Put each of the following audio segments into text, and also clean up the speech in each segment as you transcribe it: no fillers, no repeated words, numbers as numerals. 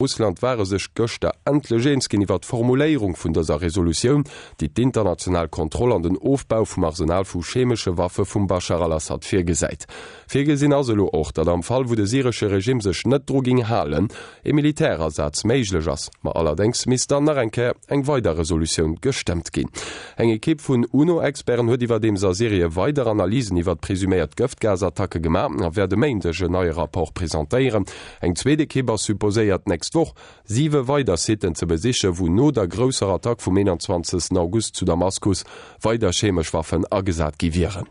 Russland ware sech gëschter endlech eens ginn iwwer d'Formuléierung vun dëser Resolutioun, déi d'international Kontroll an den Ofbau vum Arsenal vu chemesche Waffe vum Baschar al-Assad virgesäit. Virgesinn ass elo och, datt am Fall wou de syresche Regimm sech net dru géing halen, e Militärasaz méiglech ass. Ma allerdéngs misst dann nach eng Kéier eng weider Resolutioun gestëmmt ginn. Eng Ekipp vun UNO-Experten huet iwwerdeems a Syrie weider Analysen iwwer presuméiert Gëftgasattacke gemaach a wäert e Méindeg en neie Rapport presentéieren. Eng zweet Ekipp ass supposéiert d'nächst Woch siwe weider Siten ze besichen, wou no der grousser Attack vum 21 August zu Damaskus weider chemesch Waffen agesat gi wieren.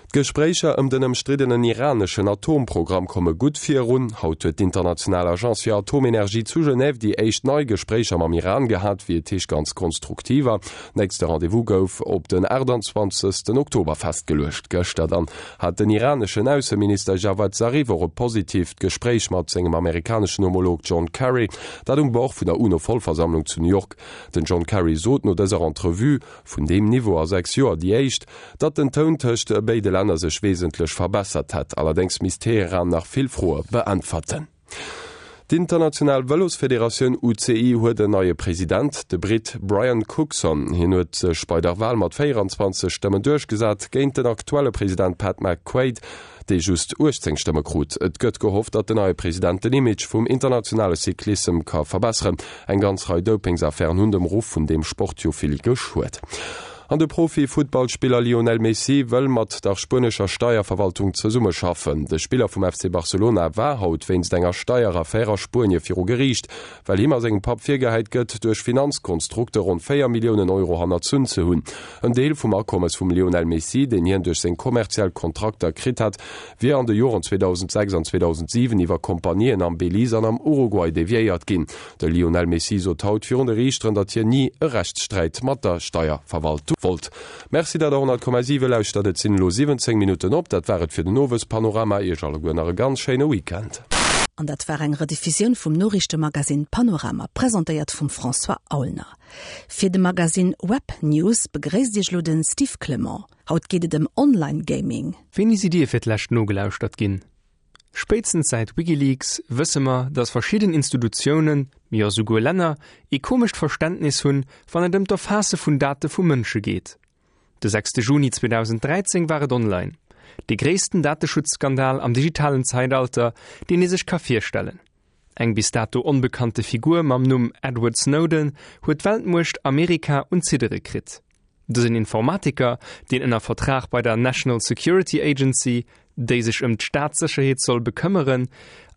D'Gespréicher ëm den ëmstriddenen iraneschen Atomprogramm komme gutt virun. Haut huet d'international Agence fir Atomenergie zu Genève déi éischt nei Gespréicher mam Iran gehat, wéi et heescht ganz konstruktiver. Nächste Rendez-vous gouf op den 28 Oktober festgeluecht. Gëschter dann hat den iraneschen Ausseminister Javad Zarif och e positiivt Gespréich mat sengem amerikaneschen Homolog John Kerry, dat um Bord vun der UNO-Vollversammlung zu New York. Den John Kerry sot no dëser Entrevue, vun deem Niveau a 6 Joer déi éischt, datt den Toun tëscht béide Länner sech wesentlech verbessert hätt. Allerdéngs misst Teheran nach vill Froe beäntwerten. D'international Vëlosfederatioun UCI huet en neie President, de Britt Brian Cookson. Hien huet sech bei der Wal mat 24 Stëmmen duerchgesat géint den aktuelle President Pat McQuaid, dee just 18 Stëmme krut. Et gëtt gehofft, datt den neie President den Image vum internationale Cyclissem ka verbesseren. Eng ganz Rei Dopingsaffären hunn dem Ruff vun deem Sport jo vill geschuet. An de Profi-Futtballspiller Lionel Messi wëll mat der spuenescher Steierverwaltung zesummeschaffen. De Spiller vum FC Barcelona war haut wéinst enger Steieraffär a Spuenie viru Geriicht, well him a sengem Papp virgehäit gëtt, duerch Finanzkonstrukte ronn 4 Milliounen Euro hannerzunn ze hunn. En Deel vum Akommes vum Lionel Messi, deen hien duerch seng kommerziell Kontrakter kritt hat, wier an de Joren 2006 an 2007 iwwer Kompanien am Belize an am Uruguay deviéiert ginn. De Lionel Messi sot haut virun de Riichteren, datt hien ni e Rechtssträit mat der Steierverwaltung wollt. Merci, datt der 100,7 lauschtert. Et sinn elo 17 Minutten op. Dat war et fir den Owespanorama. Iech alleguer nach e ganz schéine Weekend. An dat war eng Rediffusioun vum Noriichtemagasinn Panorama, presentéiert vum François Aulner. Fir de Magasinn Web News begréisst Iech elo de Steve Clement. Haut geet et ëm Online Gaming. Wéini sidd Dir fir d'lescht nogelauschtert ginn? Spéitstens säit Wikileaks wësse mer, datt verschidden Institutiounen, jo souguer Länner, ee komescht Verständnis hunn, wann et ëm d'Erfaasse vun Date vu Mënsche geet. De sechste Juni 2013 war et online, dee gréissten Dateschutzskandal am digitalen Zeitalter, deen ee sech ka virstellen. Eng bis dato onbekannte Figur mam Numm Edward Snowden huet d'Weltmuecht Amerika un d'Ziddere kritt. Dësen Informatiker, deen ënner Vertrag bei der National Security Agency, déi sech ëm d'Staatssécherheet soll bekëmmeren,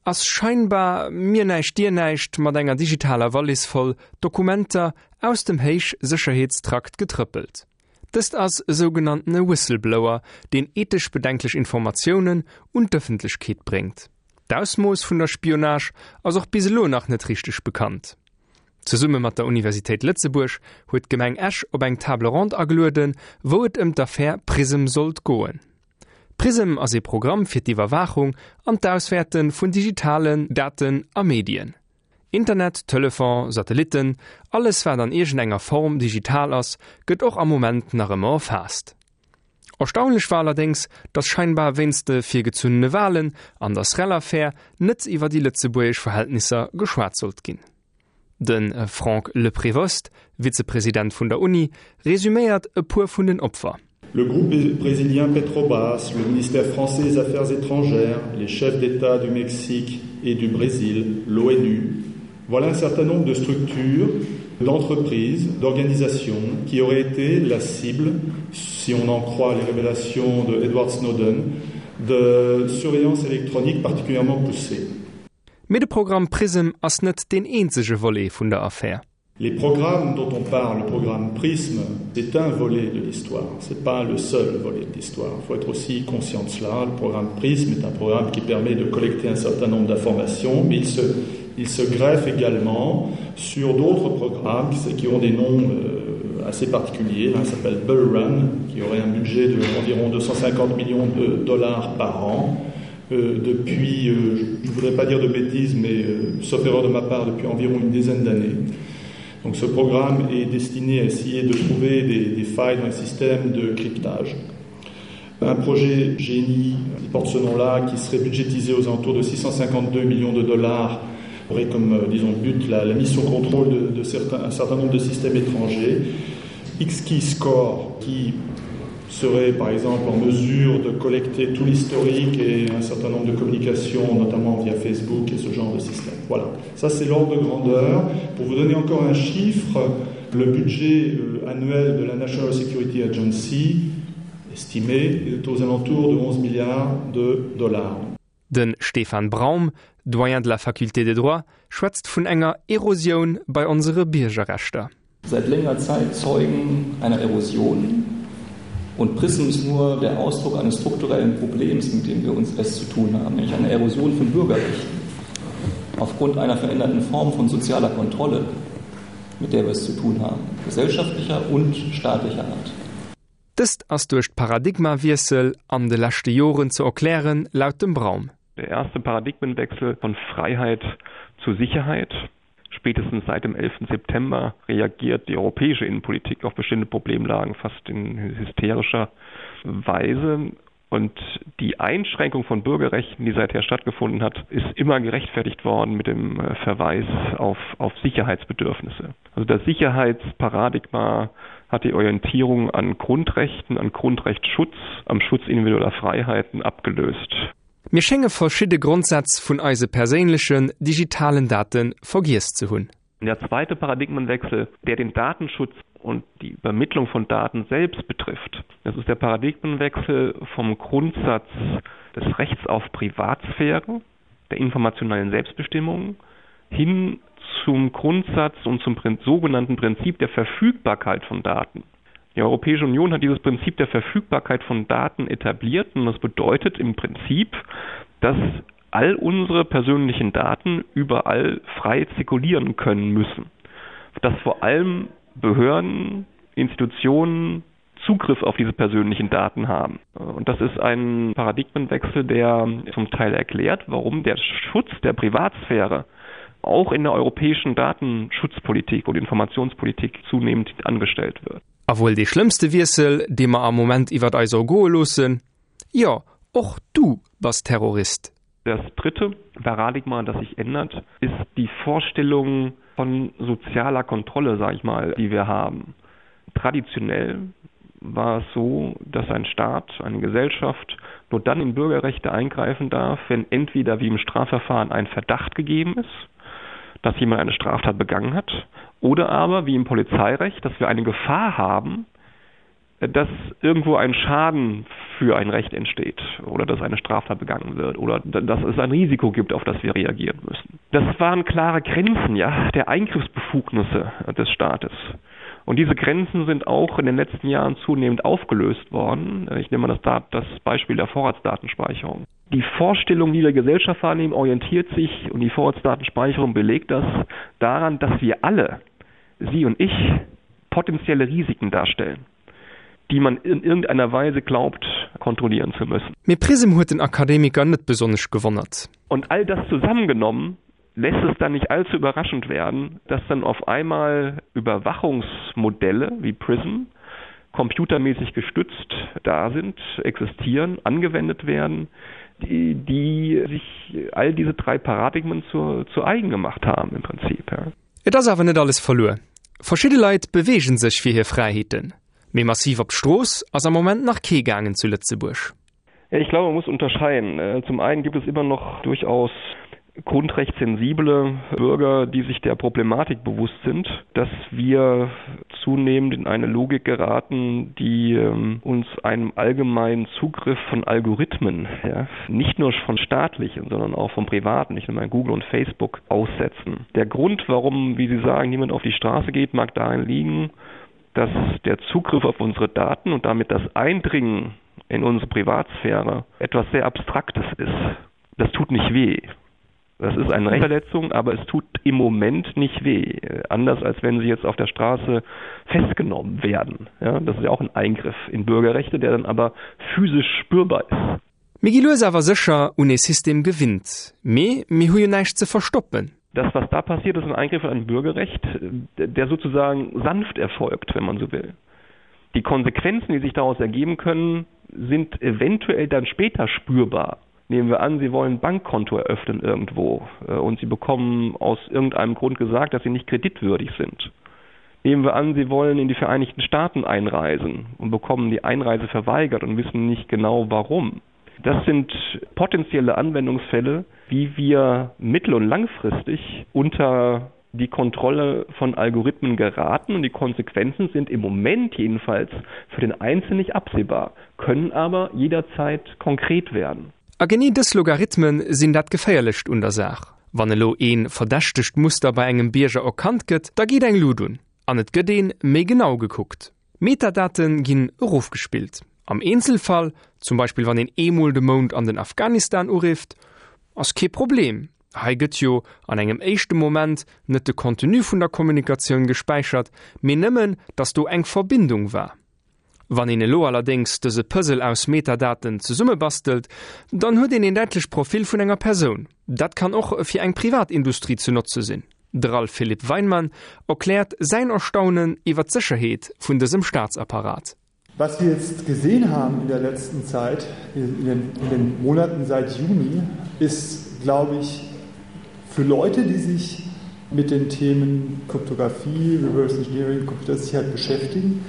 ass scheinbar mir näischt dir näischt mat enger digitaler Wallis voll Dokumenter aus dem Héichsécherheetstrakt getrëppelt. Dëst ass e sougenanntene Whistleblower, deen ethesch bedenklech Informatiounen un d'Ëffentlechkeet bréngt. D'Ausmooss vun der Spionage ass och bis elo nach net richteg bekannt. Zesumme mat der Universitéit Lëtzebuerg huet d'Gemeng Esch op eng Table ronde agelueden, wou et ëm d'Affär Prism sollt goen. Prism ass ee Programm fir d'Iwwerwaachung an d'Auswäerte vun digitalen Daten a Medien. Internet, Telefon, Satellitten, alles wat an iergendenger Form digital ass, gëtt och am Moment nach ëmmer erfaasst. Erstaunlech war allerdéngs, datt scheinbar wéinst de virgezunnene Walen an der Srel-Affär net iwwer déi lëtzebuergesch Verhältnisser geschwat sollt ginn. De Franck Leprevost, Vizepresident vun der Uni, resuméiert e puer vun den Opfer. Le groupe brésilien Petrobras, le ministère français des Affaires étrangères, les chefs d'État du Mexique et du Brésil, l'ONU, Voilà un certain nombre de structures, d'entreprises, d'organisations qui auraient été la cible, si on en croit les révélations de Edward Snowden, de surveillance électronique particulièrement poussée. Mee de Programm Prism ass net deen eenzege Volet vun der Affär. Les programmes dont on parle, le programme Prism, c'est un volet de l'histoire. C'est pas le seul volet de l'histoire. Il faut être aussi conscient de cela. Le programme Prism est un programme qui permet de collecter un certain nombre d'informations, mais il se, il se greffe également sur d'autres programmes qui, qui ont des noms euh, assez particuliers. L'un s'appelle Bull Run, qui aurait un budget d'environ 250 millions de dollars par an. Euh, depuis, euh, je ne voudrais pas dire de bêtises, mais euh, sauf erreur de ma part, depuis environ une dizaine d'années. Donc ce programme est destiné à essayer de trouver des, des failles dans les systèmes de cryptage. Un projet génie qui porte ce nom-là, qui serait budgétisé aux alentours de 652 millions de dollars. Aurait comme euh, disons but la, la mission contrôle de, de certains, un certain nombre de systèmes étrangers. Xkey score qui serait par exemple en mesure de collecter tout l'historique et un certain nombre de communications, notamment via Facebook et ce genre de système. Voilà, ça c'est l'ordre de grandeur. Pour vous donner encore un chiffre, le budget euh, annuel de la National Security Agency estimé est aux alentours de 11 milliards de dollars. De Stefan Braum, Doyen de la Faculté de droit, schwätzt vun enger Erosioun bei onsere Biergerrechter. Seit längerer Zeit Zeugen einer Erosion und Prism ist nur der Ausdruck eines strukturellen Problems, mit dem wir uns es zu tun haben, nämlich eine Erosion von Bürgerrechten aufgrund einer veränderten Form von sozialer Kontrolle, mit der wir es zu tun haben, gesellschaftlicher und staatlicher Art. Dëst ass duerch d'Paradigmawiessel an de leschte Joren ze erklären, laut dem Braum. Der erste Paradigmenwechsel von Freiheit zu Sicherheit. Spätestens seit dem 11. September reagiert die europäische Innenpolitik auf bestimmte Problemlagen fast in hysterischer Weise. Und die Einschränkung von Bürgerrechten, die seither stattgefunden hat, ist immer gerechtfertigt worden mit dem äh, Verweis auf, auf Sicherheitsbedürfnisse. Also das Sicherheitsparadigma hat die Orientierung an Grundrechten, an Grundrechtsschutz, am Schutz individueller Freiheiten abgelöst. Mir schénge verschidde Grondsätz vun eise perséinlechen digitalen Date vergiess ze hunn. Der zweite Paradigmenwechsel, der den Datenschutz und die Übermittlung von Daten selbst betrifft. Das ist der Paradigmenwechsel vom Grundsatz des Rechts auf Privatsphäre, der informationellen Selbstbestimmung hin zum Grundsatz und zum sogenannten Prinzip der Verfügbarkeit von Daten. Die Europäische Union hat dieses Prinzip der Verfügbarkeit von Daten etabliert und das bedeutet im Prinzip, dass all unsere persönlichen Daten überall frei zirkulieren können müssen. Dass vor allem Behörden, Institutionen Zugriff auf diese persönlichen Daten haben. Und das ist ein Paradigmenwechsel, der zum Teil erklärt, warum der Schutz der Privatsphäre auch in der europäischen Datenschutzpolitik und Informationspolitik zunehmend angestellt wird. A wuel dee schlëmmste Wiessel, dee mer am Moment iwwert eis ergoe loossen, Jo, och du bass Terrorist. Das dritte Paradigma, das sich ändert, ist die Vorstellung von sozialer Kontrolle, sag ich mal, die wir haben. Traditionell war es so, dass ein Staat, eine Gesellschaft nur dann in Bürgerrechte eingreifen darf, wenn entweder wie im Strafverfahren ein Verdacht gegeben ist, dass jemand eine Straftat begangen hat, oder aber wie im Polizeirecht, dass wir eine Gefahr haben, dass irgendwo ein Schaden für ein Recht entsteht oder dass eine Straftat begangen wird oder dass es ein Risiko gibt, auf das wir reagieren müssen. Das waren klare Grenzen ja, der Eingriffsbefugnisse des Staates. Und diese Grenzen sind auch in den letzten Jahren zunehmend aufgelöst worden. Ich nehme mal das, das Beispiel der Vorratsdatenspeicherung. Die Vorstellung, die wir Gesellschaft wahrnehmen, orientiert sich und die Vorratsdatenspeicherung belegt das daran, dass wir alle, Sie und ich, potenzielle Risiken darstellen, die man in irgendeiner Weise glaubt, kontrollieren zu müssen. Mee Prism huet den Akademiker net besonnesch gewonnert. Und all das zusammengenommen lässt es dann nicht allzu überraschend werden, dass dann auf einmal Überwachungsmodelle wie Prism computermäßig gestützt da sind, existieren, angewendet werden, die, die sich all diese drei Paradigmen zu, zu eigen gemacht haben im Prinzip. Ja. Et ass awer net alles verluer. Verschidde Leit beweegen sech fir hir Fräiheeten, mee massiv op d'Strooss ass am Moment nach kee gaangen zu Lëtzebuerg. Ich glaube, man muss unterscheiden. Äh, zum einen gibt es immer noch durchaus grundrechtssensible Bürger, die sich der Problematik bewusst sind, dass wir zunehmend in eine Logik geraten, die ähm, uns einem allgemeinen Zugriff von Algorithmen, ja, nicht nur von staatlichen, sondern auch von privaten, nicht nur Google und Facebook aussetzen. Der Grund, warum, wie Sie sagen, niemand auf die Straße geht, mag darin liegen, dass der Zugriff auf unsere Daten und damit das Eindringen in unsere Privatsphäre etwas sehr Abstraktes ist. Das tut nicht weh. Das ist eine Rechtsverletzung, aber es tut im Moment nicht weh. Anders als wenn Sie jetzt auf der Straße festgenommen werden. Ja, das ist ja auch ein Eingriff in Bürgerrechte, der dann aber physisch spürbar ist. Mir gi lues awer sécher un ee System gewinnt, mee mir hu jo näischt ze verstoppen. Das, was da passiert, ist ein Eingriff in ein Bürgerrecht, der sozusagen sanft erfolgt, wenn man so will. Die Konsequenzen, die sich daraus ergeben können, sind eventuell dann später spürbar. Nehmen wir an, Sie wollen ein Bankkonto eröffnen irgendwo äh, und Sie bekommen aus irgendeinem Grund gesagt, dass Sie nicht kreditwürdig sind. Nehmen wir an, Sie wollen in die Vereinigten Staaten einreisen und bekommen die Einreise verweigert und wissen nicht genau warum. Das sind potenzielle Anwendungsfälle, wie wir mittel- und langfristig unter die Kontrolle von Algorithmen geraten und die Konsequenzen sind im Moment jedenfalls für den Einzelnen nicht absehbar, können aber jederzeit konkret werden. A genee dës Logarithmen sinn dat Geféierlecht un der Saach. Wann elo een verdächtegt Muster bei engem Bierger erkannt gëtt, da geet eng Lut un an et gëtt een méi genau gekuckt. Metadate ginn erofgespillt. Am Eenzelfall, zum Beispill wann een eemol de Mount an den Afghanistan urifft, ass kee Problem. Hei gëtt jo an engem éischte Moment net de Contenu vun der Kommunikatioun gespäichert, mee nëmmen, datt do eng Verbindung war. Wann een elo allerdéngs dëse Puzzle aus Metadaten zesummebastelt, dann huet een een däitlecht Profil vun enger Persoun. Dat kann och fir eng privat Industrie ze notze sinn. De Ralph Philipp Weinmann erkläert säin Erstaunen iwwer d'Sécherheet vun dësem Staatsapparat. Was wir jetzt gesehen haben in der letzten Zeit, in den, in den Monaten seit Juni, ist, glaube ich, für Leute, die sich mit den Themen Kryptographie, Reverse Engineering, Computersicherheit beschäftigen,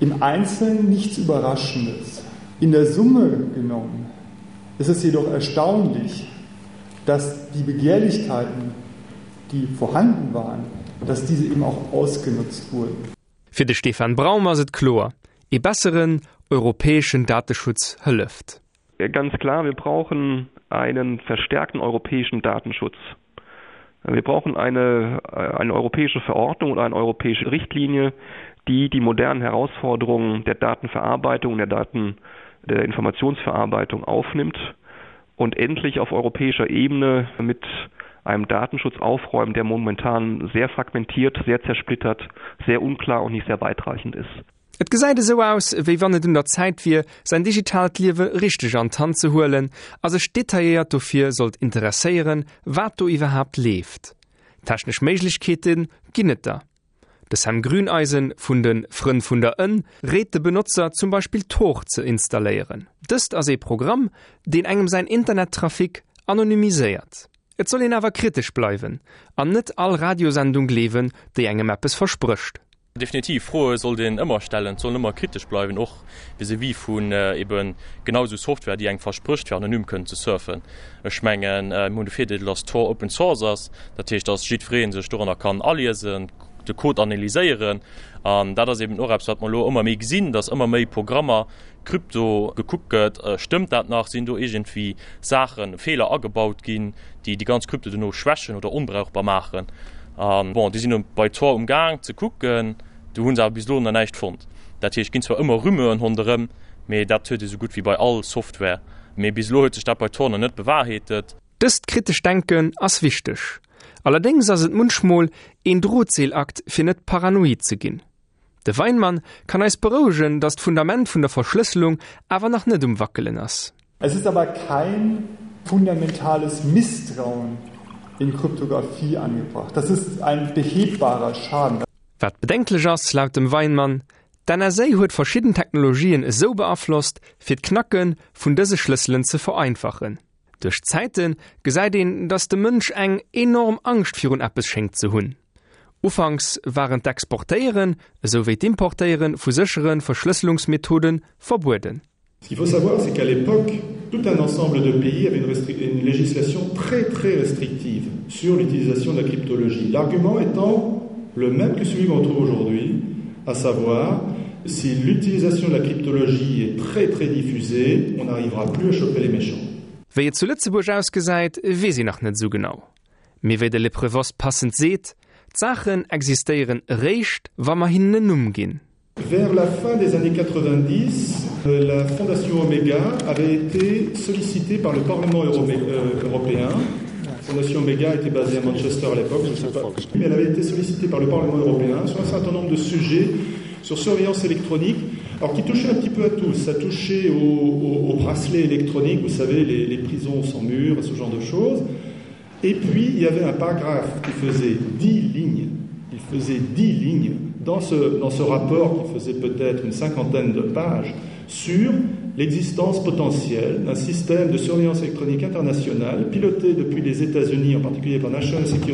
im Einzelnen nichts Überraschendes. In der Summe genommen ist es jedoch erstaunlich, dass die Begehrlichkeiten, die vorhanden waren, dass diese eben auch ausgenutzt wurden. Fir de Stefan Braum ass et kloer, Ee besseren europäeschen Dateschutz hëlleft. Ganz klar, wir brauchen einen verstärkten europäischen Datenschutz. Wir brauchen eine, eine europäische Verordnung oder eine europäische Richtlinie, die die modernen Herausforderungen der Datenverarbeitung, der Daten der Informationsverarbeitung aufnimmt und endlich auf europäischer Ebene mit einem Datenschutz aufräumen, der momentan sehr fragmentiert, sehr zersplittert, sehr unklar und nicht sehr weitreichend ist. Et gesäit esou aus, wéi wann et un der Zäit wier, säin digitaalt Liewe richteg an d'Hand ze huelen a sech detailléiert dofir sollt interesséieren, wat do iwwerhaapt leeft. Technesch Méiglechkeete ginn et der. De Sam Grüneisen vun de Frënn vun der Ënn réit de Benotzer zum Beispill Tor ze installéieren. Dëst ass ee Programm, deen engem säin Internettrafic anonymiséiert. Et soll een awer kritesch bleiwen an net all Radiosendung gleewen, déi engem eppes versprécht. Definitiv, Froe sollt een ëmmer stellen, et soll een ëmmer kritesch bleiwen, och vis-à-vis vun ebe genau esou Software, déi engem versprécht fir anonym kënnen ze surfen. Ech mengen, mir hunn de Virdeel, dass Tor Open Source ass, dat heescht, dass jiddweree sech doranner kann aliesen, de Code analyséieren. An dat ass eben och eppes, wat mer elo ëmmer méi gesinn, dass ëmmer méi Programmer, Krypto gekuckt gëtt, stëmmt dat nach, sinn do iergendwéi Saachen, Feeler agebaut ginn, déi déi ganz Krypto dono schwächen oder onbrauchbar maachen. An bon, déi sinn elo bei Tor um Gaang ze kucken, do hu se awer bis elo nach näischt fonnt. Dat heescht, et ginn zwar ëmmer Rumeuren ronderëm, mee dat huet ee sou gutt wéi bei all Software. Mee bis elo huet sech dat bei Tor nach net bewahrheetet. Dëst kritescht Denken ass wichteg. Allerdéngs ass et munchmol een Drotseelakt fir net paranoid ze ginn. De Weinmann kann eis berouegen, datt d'Fundament vun der Verschlësselung awer nach net um Wackelen ass. Es ist aber kein fundamentales Misstrauen in Kryptographie angebracht. Das ist ein behebbarer Schaden. Wat bedenklech ass, laut dem Weinmann, D'NSA huet verschidden Technologien esou beaflosst, fir d'Knacke vun dëse Schlësselen ze vereinfachen. Duerch d'Zäite gesäit een, datt de Mënsch eng enorm Angscht virun eppes schéngt ze hunn. Ufanks waren d'Exportéieren, esou wéi d'Importéiere vu séchere Verschlësselungsmethode verbueden. Ce qu'il faut savoir, c'est qu'à l'époque, tout un ensemble de pays avait une, une législation très très restrictive sur l'utilisation de la cryptologie. L'argument étant le même que celui qu'on trouve aujourd'hui, à savoir si l'utilisation de la cryptologie est très très diffusée, on n'arrivera plus à choper les méchants. Wéi et zu Lëtzebuerg ausgesäit, weess een nach net esou genau. Mee wéi de Le Prevost passend seet, D'Saachen existéieren eréischt, wa mer hinnen en Numm ginn. Vers la fin des années 90, la Fondation Omega avait été sollicitée par le Parlement euh, européen. La Fondation Omega était basée à Manchester à l'époque, je sais pas, mais elle avait été sollicitée par le Parlement européen sur un certain nombre de sujets sur surveillance électronique, alors qui touchait un petit peu à tout. Ça touchait au, au, au bracelet électronique, vous savez, les, les prisons sans mur, ce genre de choses. Et puis il y avait un paragraphe qui faisait dix lignes. Il faisait dix lignes dans ce, dans ce rapport qui faisait peut-être une cinquantaine de pages sur. l'existence potentielle d'un système de surveillance électronique internationale piloté depuis les États-Unis, en particulier par National Security.